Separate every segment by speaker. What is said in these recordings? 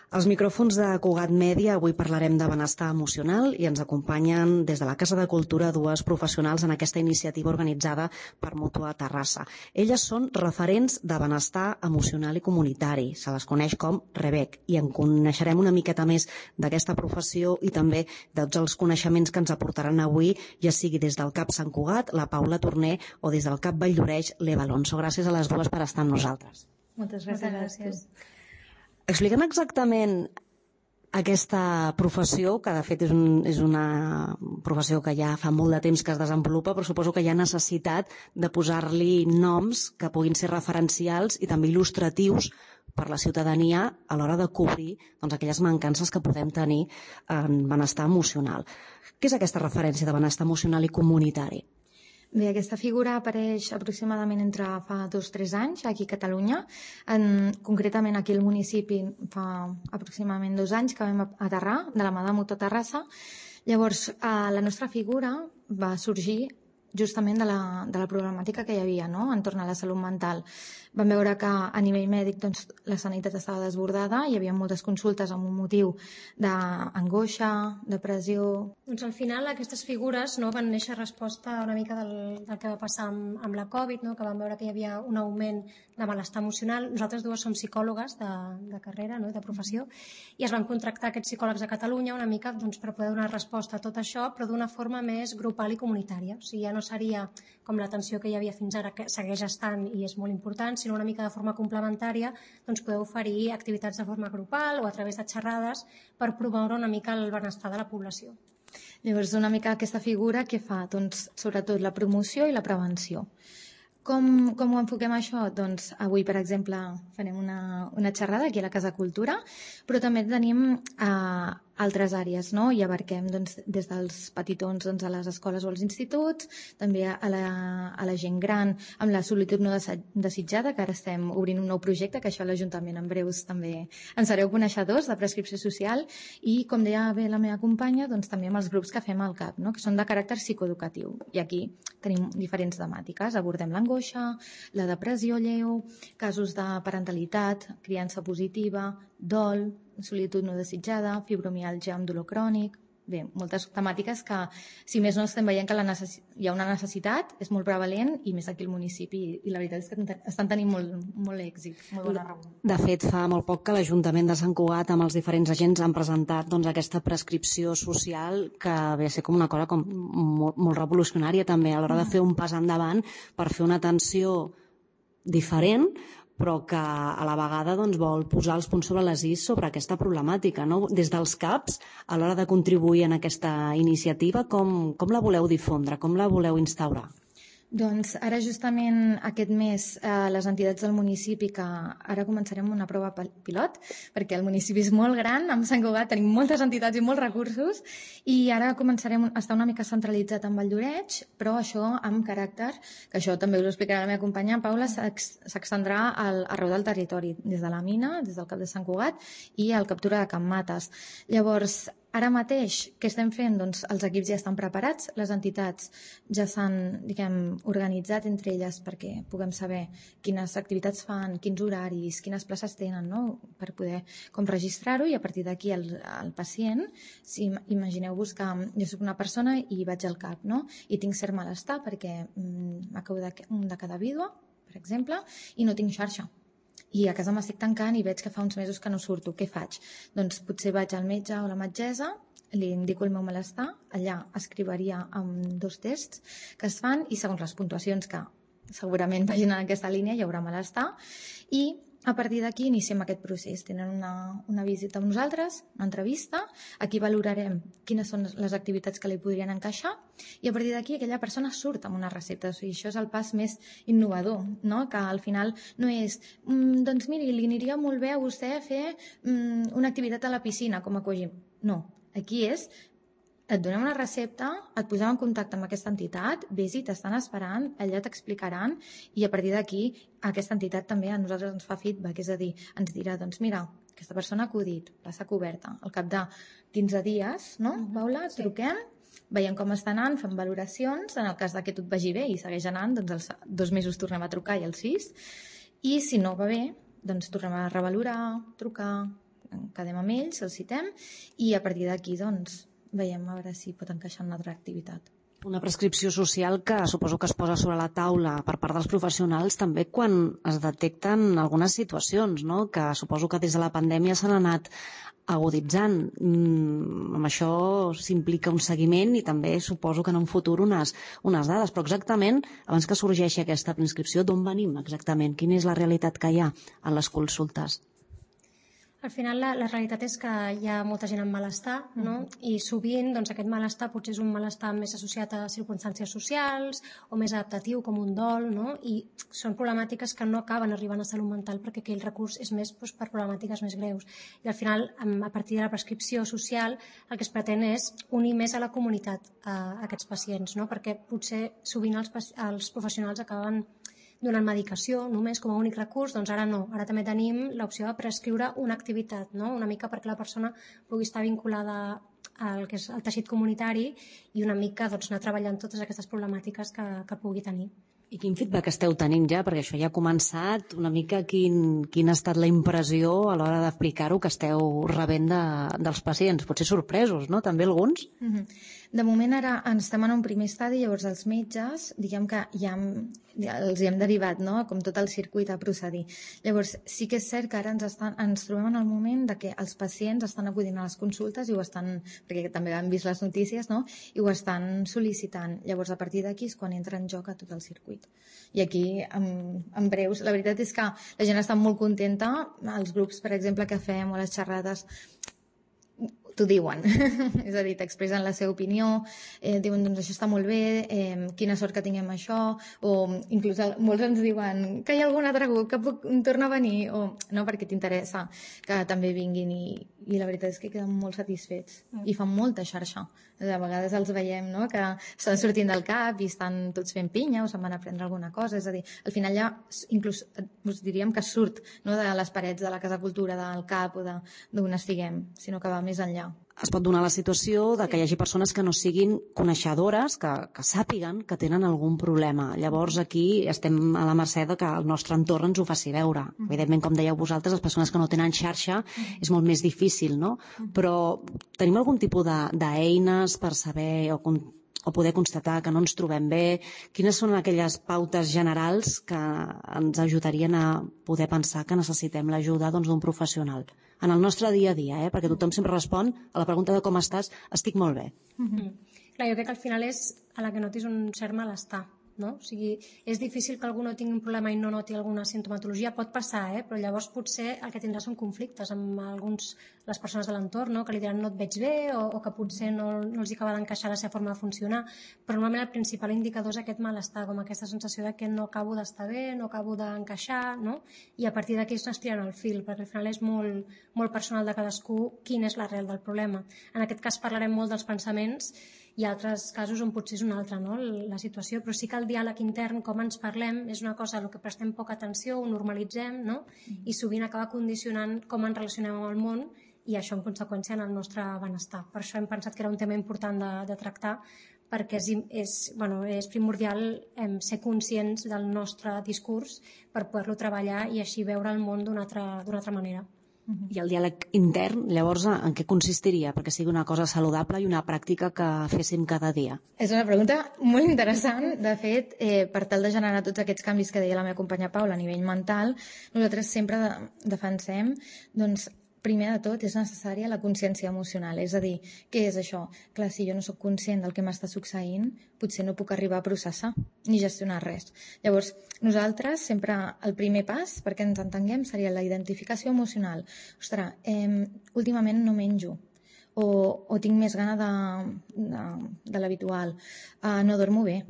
Speaker 1: Als micròfons de Cugat Mèdia avui parlarem de benestar emocional i ens acompanyen des de la Casa de Cultura dues professionals en aquesta iniciativa organitzada per Mútua Terrassa. Elles són referents de benestar emocional i comunitari. Se les coneix com REBEC i en coneixerem una miqueta més d'aquesta professió i també de tots els coneixements que ens aportaran avui, ja sigui des del CAP Sant Cugat, la Paula Torner, o des del CAP Valldoreix, l'Eva Alonso. Gràcies a les dues per estar amb nosaltres.
Speaker 2: Moltes gràcies.
Speaker 1: Expliquem exactament aquesta professió, que de fet és una professió que ja fa molt de temps que es desenvolupa, però suposo que hi ha necessitat de posar-li noms que puguin ser referencials i també il·lustratius per la ciutadania a l'hora de cobrir aquelles mancances que podem tenir en benestar emocional. Què és aquesta referència de benestar emocional i comunitari?
Speaker 2: Bé, aquesta figura apareix aproximadament entre fa 2 o 3 anys aquí a Catalunya. Concretament aquí al municipi fa aproximadament 2 anys que vam aterrar de la mà de Mútua Terrassa. Llavors, la nostra figura va sorgir justament de la problemàtica que hi havia, no?, entorn a la salut mental. Vam veure que a nivell mèdic la sanitat estava desbordada, hi havia moltes consultes amb un motiu d'angoixa, depressió.
Speaker 3: Doncs al final aquestes figures van néixer a resposta una mica del que va passar amb la Covid, que vam veure que hi havia un augment de malestar emocional. Nosaltres dues som psicòlogues de carrera, de professió, i es van contractar aquests psicòlegs a Catalunya una mica per poder donar resposta a tot això, però d'una forma més grupal i comunitària. O sigui, ja no seria com l'atenció que hi havia fins ara, que segueix estant i és molt important, sinó una mica de forma complementària poder oferir activitats de forma grupal o a través de xerrades per promoure una mica el benestar de la població.
Speaker 2: Llavors, una mica aquesta figura què fa? Doncs sobretot la promoció i la prevenció. Com ho enfoquem això? Doncs avui, per exemple, farem una xerrada aquí a la Casa Cultura, però també tenim altres àrees, no? I abarquem des dels petitons a les escoles o als instituts, també a la gent gran amb la solitud no desitjada, que ara estem obrint un nou projecte, que això a l'Ajuntament en breus també en sereu coneixedors, de prescripció social, i com deia bé la meva companya, també amb els grups que fem al CAP, no?, que són de caràcter psicoeducatiu. I aquí tenim diferents temàtiques, abordem l'angoixa, la depressió lleu, casos de parentalitat, criança positiva, dol, solitud no desitjada, fibromiàlgia amb dolor crònic. Bé, moltes temàtiques que, si més no, estem veient que hi ha una necessitat, és molt prevalent, i més aquí al municipi, i la veritat és que estan tenint molt èxit, molt bona raó.
Speaker 1: De fet, fa molt poc que l'Ajuntament de Sant Cugat amb els diferents agents han presentat aquesta prescripció social, que ve a ser com una cosa molt revolucionària també, a l'hora de fer un pas endavant per fer una atenció diferent, però que a la vegada vol posar els punts sobre les is sobre aquesta problemàtica, no? Des dels CAPs, a l'hora de contribuir en aquesta iniciativa, com la voleu difondre, com la voleu instaurar?
Speaker 2: Doncs ara justament aquest mes les entitats del municipi, que ara començarem una prova pilot, perquè el municipi és molt gran, amb Sant Cugat tenim moltes entitats i molts recursos, i ara començarem a estar una mica centralitzat en Valldoreix, però això amb caràcter, que això també us ho explicarà la meva companya Paula, s'extendrà arreu del territori, des de la mina, des del CAP de Sant Cugat i al Captura de Can Mates. Llavors, ara mateix, què estem fent? Doncs els equips ja estan preparats, les entitats ja s'han, organitzat entre elles perquè puguem saber quines activitats fan, quins horaris, quines places tenen, no?, per poder registrar-ho, i a partir d'aquí el pacient, si imagineu-vos que jo soc una persona i vaig al CAP, no?, i tinc cert malestar perquè m'acabo de quedar vídua, per exemple, i no tinc xarxa. I a casa m'estic tancant i veig que fa uns mesos que no surto. Què faig? Doncs potser vaig al metge o la metgessa, li indico el meu malestar, allà escriviria amb 2 tests que es fan, i segons les puntuacions que segurament vagin en aquesta línia hi haurà malestar, i a partir d'aquí iniciem aquest procés. Tenen una visita amb nosaltres, una entrevista, aquí valorarem quines són les activitats que li podrien encaixar, i a partir d'aquí aquella persona surt amb una recepta. O sigui, això és el pas més innovador, no?, que al final no és doncs miri, li aniria molt bé a vostè fer una activitat a la piscina com a cogim. No, aquí és: et donem una recepta, et posem en contacte amb aquesta entitat, vés-hi, t'estan esperant, allà t'explicaran, i a partir d'aquí aquesta entitat també a nosaltres ens fa feedback, és a dir, ens dirà, doncs mira, aquesta persona ha acudit, plaça coberta, al cap de 15 dies, no, Paula, truquem, veiem com està anant, fem valoracions, en el cas que tot vagi bé i segueix anant, doncs als 2 mesos tornem a trucar, i als 6, i si no va bé, doncs tornem a revalorar, trucar, quedem amb ells, els citem, i a partir d'aquí doncs, veiem a veure si pot encaixar en una altra activitat.
Speaker 1: Una prescripció social que suposo que es posa sobre la taula per part dels professionals també quan es detecten algunes situacions, no? Que suposo que des de la pandèmia s'han anat aguditzant. Amb això s'implica un seguiment i també suposo que en un futur unes dades. Però exactament, abans que sorgeixi aquesta prescripció, d'on venim exactament? Quina és la realitat que hi ha en les consultes?
Speaker 3: Al final la realitat és que hi ha molta gent amb malestar, no? I sovint doncs, aquest malestar potser és un malestar més associat a circumstàncies socials o més adaptatiu com un dol, no? I són problemàtiques que no acaben arribant a salut mental perquè aquell recurs és més doncs, per problemàtiques més greus. I al final, a partir de la prescripció social, el que es pretén és unir més a la comunitat aquests pacients, no? Perquè potser sovint els professionals acaben donant medicació només com a únic recurs, doncs ara no. Ara també tenim l'opció de prescriure una activitat, no? Una mica perquè la persona pugui estar vinculada al que és el teixit comunitari i una mica doncs, anar treballant totes aquestes problemàtiques que pugui tenir.
Speaker 1: I quin feedback esteu tenint ja? Perquè això ja ha començat. Una mica quina ha estat la impressió a l'hora d'aplicar-ho que esteu rebent dels pacients? Potser sorpresos, no? També alguns?
Speaker 2: De moment ara estem en un primer estadi, llavors els metges, diguem que ja els hem derivat, no? Com tot el circuit a procedir. Llavors sí que és cert que ara ens trobem en el moment de que els pacients estan acudint a les consultes i ho estan, perquè també han vist les notícies, no? I ho estan sol·licitant. Llavors a partir d'aquí és quan entra en joc a tot el circuit. I aquí, en breus, la veritat és que la gent està molt contenta, els grups, per exemple, que fem o les xerrades t'ho diuen, és a dir, t'expressen la seva opinió, diuen, doncs això està molt bé, quina sort que tinguem això, o inclús molts ens diuen que hi ha algun altre grup que puc tornar a venir, o no, perquè t'interessa que també vinguin, i la veritat és que queden molt satisfets i fan molta xarxa. A vegades els veiem, no?, que estan sortint del CAP i estan tots fent pinya o se'n van a prendre alguna cosa, és a dir, al final ja inclús us diríem que surt, no?, de les parets de la Casa Cultura, del CAP o d'on estiguem, sinó que va més enllà.
Speaker 1: Es pot donar la situació de que hi hagi persones que no siguin coneixedores, que sàpiguen que tenen algun problema. Llavors aquí estem a la mercè de que el nostre entorn ens ho faci veure. Evidentment, com dèieu vosaltres, les persones que no tenen xarxa és molt més difícil, no? Però tenim algun tipus d'eines per saber o poder constatar que no ens trobem bé? Quines són aquelles pautes generals que ens ajudarien a poder pensar que necessitem l'ajuda d'un professional? En el nostre dia a dia, perquè tothom sempre respon a la pregunta de com estàs, estic molt bé.
Speaker 3: Clar, jo crec que al final és a la que notis un cert malestar, no? O sigui, és difícil que algú no tingui un problema i no noti alguna sintomatologia, pot passar, però llavors potser el que tindrà són conflictes amb les persones de l'entorn, no? Que li diran no et veig bé o que potser no els acaba d'encaixar la seva forma de funcionar, però normalment el principal indicador és aquest malestar, com aquesta sensació de que no acabo d'estar bé, no acabo d'encaixar, no? I a partir d'aquí es tiren el fil, perquè al final és molt, molt personal de cadascú quina és l'arrel del problema. En aquest cas parlarem molt dels pensaments i altres casos on potser és una altra, no?, la situació, però sí que el diàleg intern, com ens parlem, és una cosa a la que prestem poca atenció, ho normalitzem, no?, i sovint acaba condicionant com ens relacionem amb el món i això en conseqüència en el nostre benestar. Per això hem pensat que era un tema important de tractar, perquè és primordial ser conscients del nostre discurs per poder-lo treballar i així veure el món d'una altra manera.
Speaker 1: I el diàleg intern, llavors, en què consistiria? Perquè sigui una cosa saludable i una pràctica que féssim cada dia.
Speaker 2: És una pregunta molt interessant. De fet, per tal de generar tots aquests canvis que deia la meva companya Paula a nivell mental, nosaltres sempre defensem, doncs, primer de tot és necessària la consciència emocional, és a dir, què és això? Clar, si jo no sóc conscient del que m'està succeint, potser no puc arribar a processar ni gestionar res. Llavors, nosaltres sempre el primer pas, perquè ens entenguem, seria la identificació emocional. Ostres, últimament no menjo, o tinc més gana de l'habitual, no dormo bé,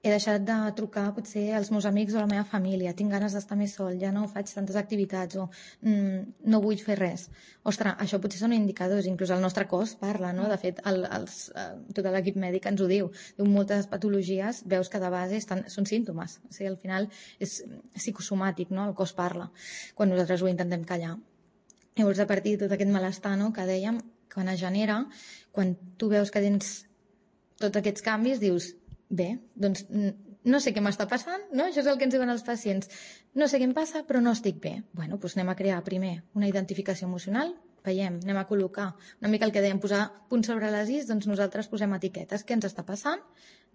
Speaker 2: he deixat de trucar potser als meus amics o a la meva família, tinc ganes d'estar més sol, ja no faig tantes activitats o no vull fer res. Ostres, això potser són indicadors, inclús el nostre cos parla, no? De fet, tot l'equip mèdic ens ho diu. Moltes patologies veus que de base són símptomes, o sigui, al final és psicosomàtic, no? El cos parla, quan nosaltres ho intentem callar. Llavors, a partir de tot aquest malestar, no?, que dèiem, quan es genera, quan tu veus que tens tots aquests canvis, dius, bé, doncs no sé què m'està passant, no? Això és el que ens diuen els pacients. No sé què em passa, però no estic bé. Bueno, doncs anem a crear primer una identificació emocional, veiem, anem a col·locar una mica el que dèiem, posar punts sobre les is, doncs nosaltres posem etiquetes, què ens està passant,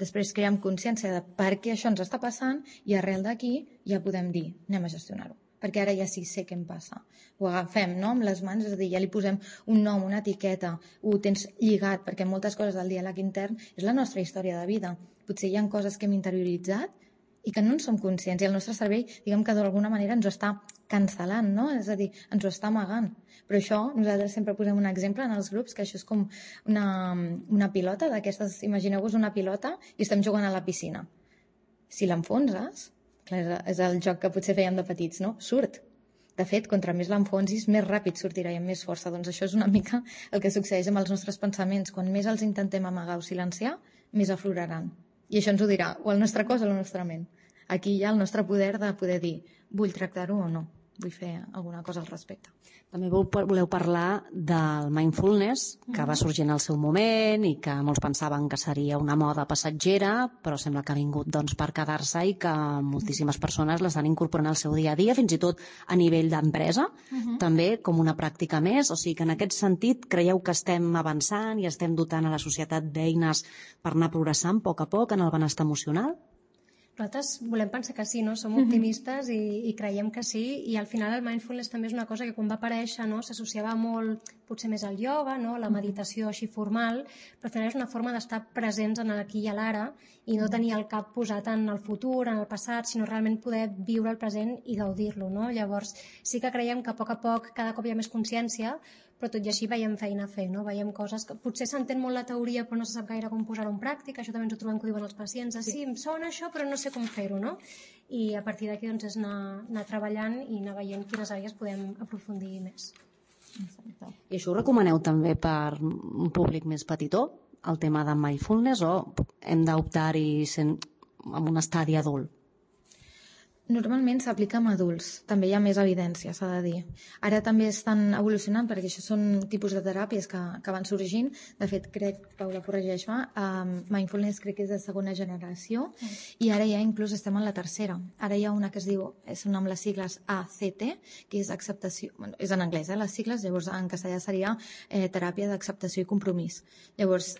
Speaker 2: després creem consciència de per què això ens està passant i arrel d'aquí ja podem dir, anem a gestionar-ho, perquè ara ja sí sé què em passa. Ho agafem, no?, amb les mans, és a dir, ja li posem un nom, una etiqueta, ho tens lligat, perquè moltes coses del diàleg intern és la nostra història de vida. Potser hi ha coses que hem interioritzat i que no en som conscients, i el nostre cervell, diguem que d'alguna manera ens ho està cancel·lant, no? És a dir, ens ho està amagant. Però això, nosaltres sempre posem un exemple en els grups, que això és com una pilota d'aquestes, imagineu-vos una pilota i estem jugant a la piscina. Si l'enfonses, clar, és el joc que potser feien de petits, no? Surt. De fet, contra més l'enfonsis, més ràpid sortirà i amb més força. Doncs això és una mica el que succeeix amb els nostres pensaments. Quan més els intentem amagar o silenciar, més afloraran. I això ens ho dirà o el nostre cos o la nostra ment. Aquí hi ha el nostre poder de poder dir, vull tractar-ho o no, vull fer alguna cosa al respecte.
Speaker 1: També voleu parlar del mindfulness, que va sorgir en el seu moment i que molts pensaven que seria una moda passatgera, però sembla que ha vingut per quedar-se i que moltíssimes persones l'estan incorporant al seu dia a dia, fins i tot a nivell d'empresa, també com una pràctica més. O sigui que en aquest sentit creieu que estem avançant i estem dotant a la societat d'eines per anar progressant a poc en el benestar emocional?
Speaker 3: Nosaltres volem pensar que sí, no? Som optimistes i creiem que sí, i al final el mindfulness també és una cosa que quan va aparèixer, no, s'associava molt potser més al ioga, no, la meditació així formal, però al final és una forma d'estar presents en l'aquí i a l'ara i no tenir el cap posat en el futur, en el passat, sinó realment poder viure el present i gaudir-lo, no? Llavors sí que creiem que a poc cada cop hi ha més consciència, però tot i així veiem feina a fer, no? Veiem coses que potser s'entén molt la teoria però no se sap gaire com posar-ho en pràctica. Això també ens ho trobem que ho diuen els pacients, sí, em sona això però no sé com fer-ho, no? I a partir d'aquí doncs, és anar treballant i anar veient quines àrees podem aprofundir més.
Speaker 1: I això ho recomaneu també per un públic més petitó, el tema de mindfulness, o hem d'optar-hi en un estadi adult?
Speaker 2: Normalment s'aplica amb adults, també hi ha més evidència, s'ha de dir. Ara també estan evolucionant, perquè això són tipus de teràpies que van sorgint. De fet, crec, Paula, corregeix-me, mindfulness crec que és de segona generació, i ara ja inclús estem en la tercera. Ara hi ha una que es diu, són amb les sigles ACT, que és acceptació, bueno, és en anglès, les sigles, llavors en castellà seria teràpia d'acceptació i compromís. Llavors,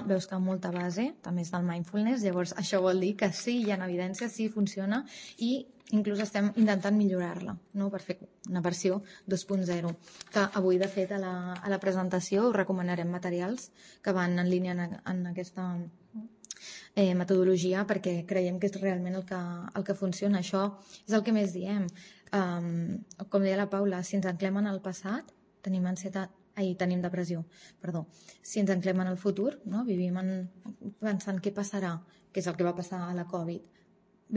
Speaker 2: veus que molta base també és del mindfulness, llavors això vol dir que sí, hi ha evidència, sí, funciona, i inclús estem intentant millorar-la, no? Per fer una versió 2.0, que avui de fet a la presentació us recomanarem materials que van en línia en aquesta metodologia, perquè creiem que és realment el que funciona. Això és el que més diem, com deia la Paula, si ens anclem en el passat tenim ansietat, tenim depressió, perdó. Si ens anclem en el futur, no? Vivim pensant què passarà, que és el que va passar a la Covid,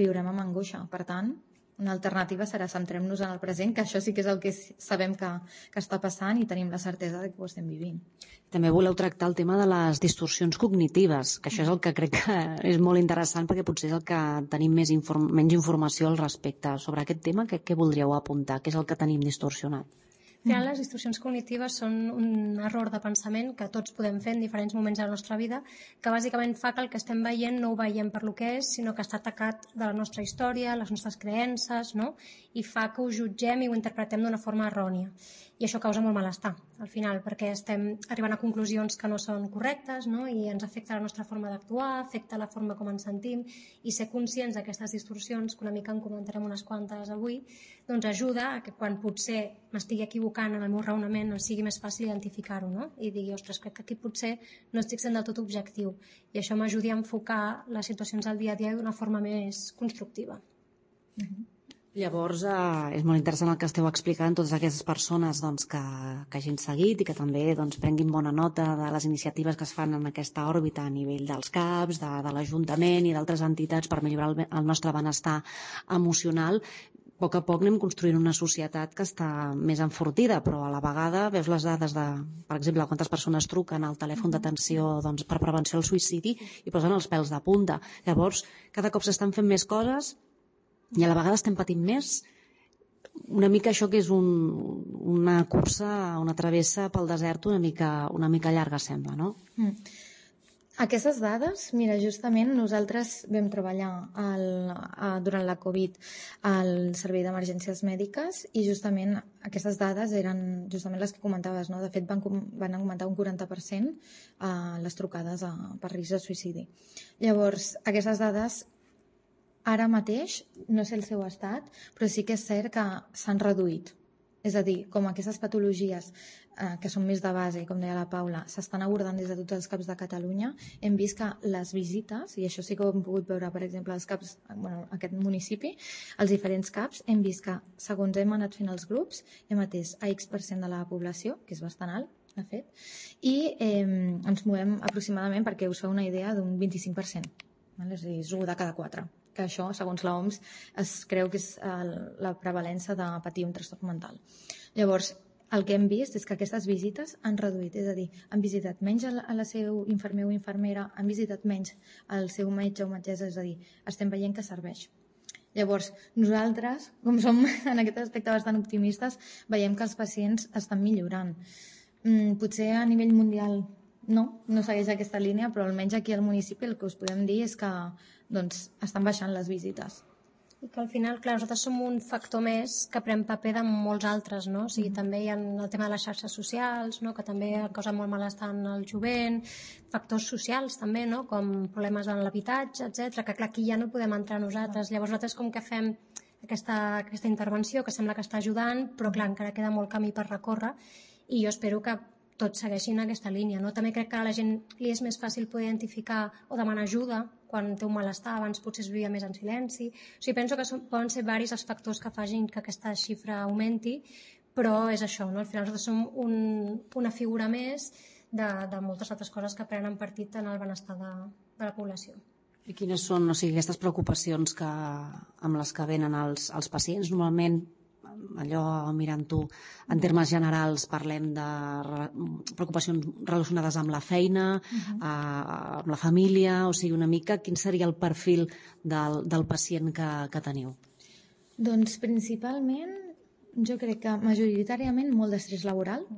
Speaker 2: viurem amb angoixa. Per tant, una alternativa serà centrem-nos en el present, que això sí que és el que sabem que està passant i tenim la certesa de que ho estem vivint.
Speaker 1: També voleu tractar el tema de les distorsions cognitives, que això és el que crec que és molt interessant, perquè potser és el que tenim menys informació al respecte. Sobre aquest tema, què voldríeu apuntar? Què és el que tenim distorsionat?
Speaker 3: Al final, les distorsions cognitives són un error de pensament que tots podem fer en diferents moments de la nostra vida, que bàsicament fa que el que estem veient no ho veiem per lo que és, sinó que està atacat de la nostra història, les nostres creences, no? I fa que ho jutgem i ho interpretem d'una forma errònia. I això causa molt malestar, al final, perquè estem arribant a conclusions que no són correctes, no? I ens afecta la nostra forma d'actuar, afecta la forma com ens sentim, i ser conscients d'aquestes distorsions, que una mica en comentarem unes quantes avui, doncs ajuda a que quan potser m'estigui equivocant en el meu raonament no sigui més fàcil identificar-ho, no? I digui, ostres, crec que aquí potser no estic sent del tot objectiu, i això m'ajudi a enfocar les situacions del dia a dia d'una forma més constructiva.
Speaker 1: Llavors, és molt interessant el que esteu explicant, totes aquestes persones que hagin seguit i que també prenguin bona nota de les iniciatives que es fan en aquesta òrbita a nivell dels CAPs, de l'Ajuntament i d'altres entitats per millorar el nostre benestar emocional. A poc anem construint una societat que està més enfortida, però a la vegada veus les dades de, per exemple, quantes persones truquen al telèfon d'atenció per prevenció al suïcidi i posen els pèls de punta. Llavors, cada cop s'estan fent més coses i a la vegada estem patint més. Una mica això que és una cursa, una travessa pel desert una mica llarga, sembla, no?
Speaker 2: Aquestes dades, mira, justament nosaltres vam treballar durant la Covid al Servei d'Emergències Mèdiques i justament aquestes dades eren justament les que comentaves, no? De fet, van augmentar un 40% les trucades per risc de suïcidi. Llavors, aquestes dades ara mateix, no sé el seu estat, però sí que és cert que s'han reduït. És a dir, com aquestes patologies que són més de base, com deia la Paula, s'estan abordant des de tots els CAPs de Catalunya, hem vist que les visites, i això sí que ho hem pogut veure, per exemple, als CAPs, aquest municipi, els diferents CAPs, hem vist que, segons hem anat fent els grups, hem atès a X% de la població, que és bastant alt, de fet, i ens movem aproximadament, perquè us feu una idea, d'un 25%. És a dir, és 1 de cada 4. Que això, segons l'OMS, es creu que és la prevalença de patir un trastorn mental. Llavors, el que hem vist és que aquestes visites han reduït, és a dir, han visitat menys a la seu infermer o infermera, han visitat menys al seu metge o metgessa, és a dir, estem veient que serveix. Llavors, nosaltres, com som en aquest aspecte bastant optimistes, veiem que els pacients estan millorant. Potser a nivell mundial no segueix aquesta línia, però almenys aquí al municipi el que us podem dir és que estan baixant les visites.
Speaker 3: I que al final, clar, nosaltres som un factor més que pren paper de molts altres, no? O sigui, també hi ha el tema de les xarxes socials, no? Que també causa molt malestar en el jovent, factors socials també, no? Com problemes en l'habitatge, etc. Que clar, aquí ja no podem entrar nosaltres. Llavors nosaltres com que fem aquesta intervenció que sembla que està ajudant, però clar, encara queda molt camí per recórrer i jo espero que tots segueixin aquesta línia, no? També crec que a la gent li és més fàcil poder identificar o demanar ajuda quan té un malestar, abans potser es vivia més en silenci. O sigui, penso que poden ser varis els factors que facin que aquesta xifra augmenti, però és això, no? Al final nosaltres som una figura més de moltes altres coses que prenen partit en el benestar de la població.
Speaker 1: I quines són, aquestes preocupacions amb les que venen els pacients? Normalment, allò mirant-ho en termes generals, parlem de preocupacions relacionades amb la feina, amb la família, o sigui, una mica quin seria el perfil del pacient que teniu?
Speaker 2: Doncs principalment, jo crec que majoritàriament molt d'estrès laboral,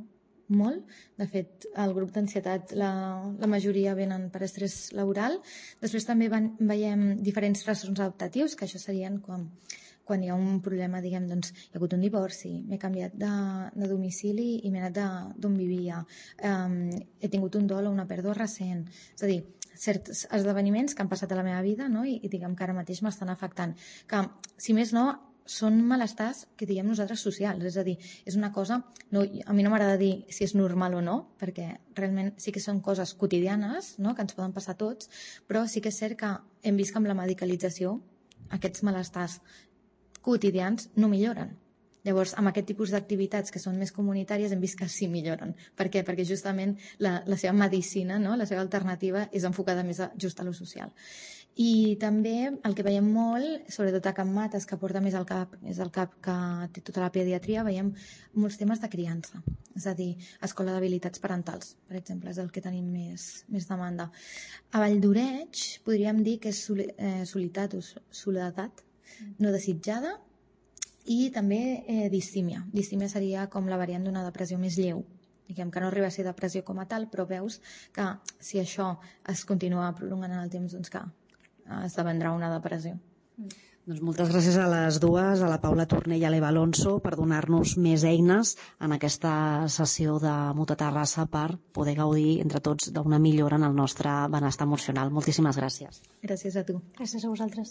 Speaker 2: molt. De fet, el grup d'ansietat, la majoria venen per estrès laboral. Després també veiem diferents trastorns adaptatius, que això serien quan hi ha un problema, diguem, doncs hi ha hagut un divorci, m'he canviat de domicili i m'he anat d'on vivia, he tingut un dol o una pèrdua recent, és a dir, certs esdeveniments que han passat a la meva vida, no? I diguem que ara mateix m'estan afectant, que si més no són malestars que diguem nosaltres socials, és a dir, és una cosa, a mi no m'agrada dir si és normal o no, perquè realment sí que són coses quotidianes, no? Que ens poden passar a tots, però sí que és cert que hem vist que amb la medicalització aquests malestars quotidians no milloren. Llavors, amb aquest tipus d'activitats que són més comunitàries hem vist que sí milloren. Per què? Perquè justament la seva medicina, no? La seva alternativa és enfocada més just a lo social. I també el que veiem molt, sobretot a Can Mates, que porta més al CAP, és el CAP que té tota la pediatria, veiem molts temes de criança. És a dir, escola d'habilitats parentals, per exemple, és el que tenim més demanda. A Valldoreix podríem dir que és soledat no desitjada i també distímia. Distímia seria com la variant d'una depressió més lleu. Diguem que no arriba a ser depressió com a tal, però veus que si això es continua prolongant en el temps, doncs que esdevendrà una depressió.
Speaker 1: Doncs moltes gràcies a les dues, a la Paula Torner i a l'Eva Alonso, per donar-nos més eines en aquesta sessió de Mutua Terrassa per poder gaudir entre tots d'una millora en el nostre benestar emocional. Moltíssimes gràcies.
Speaker 2: Gràcies a tu.
Speaker 3: Gràcies a vosaltres.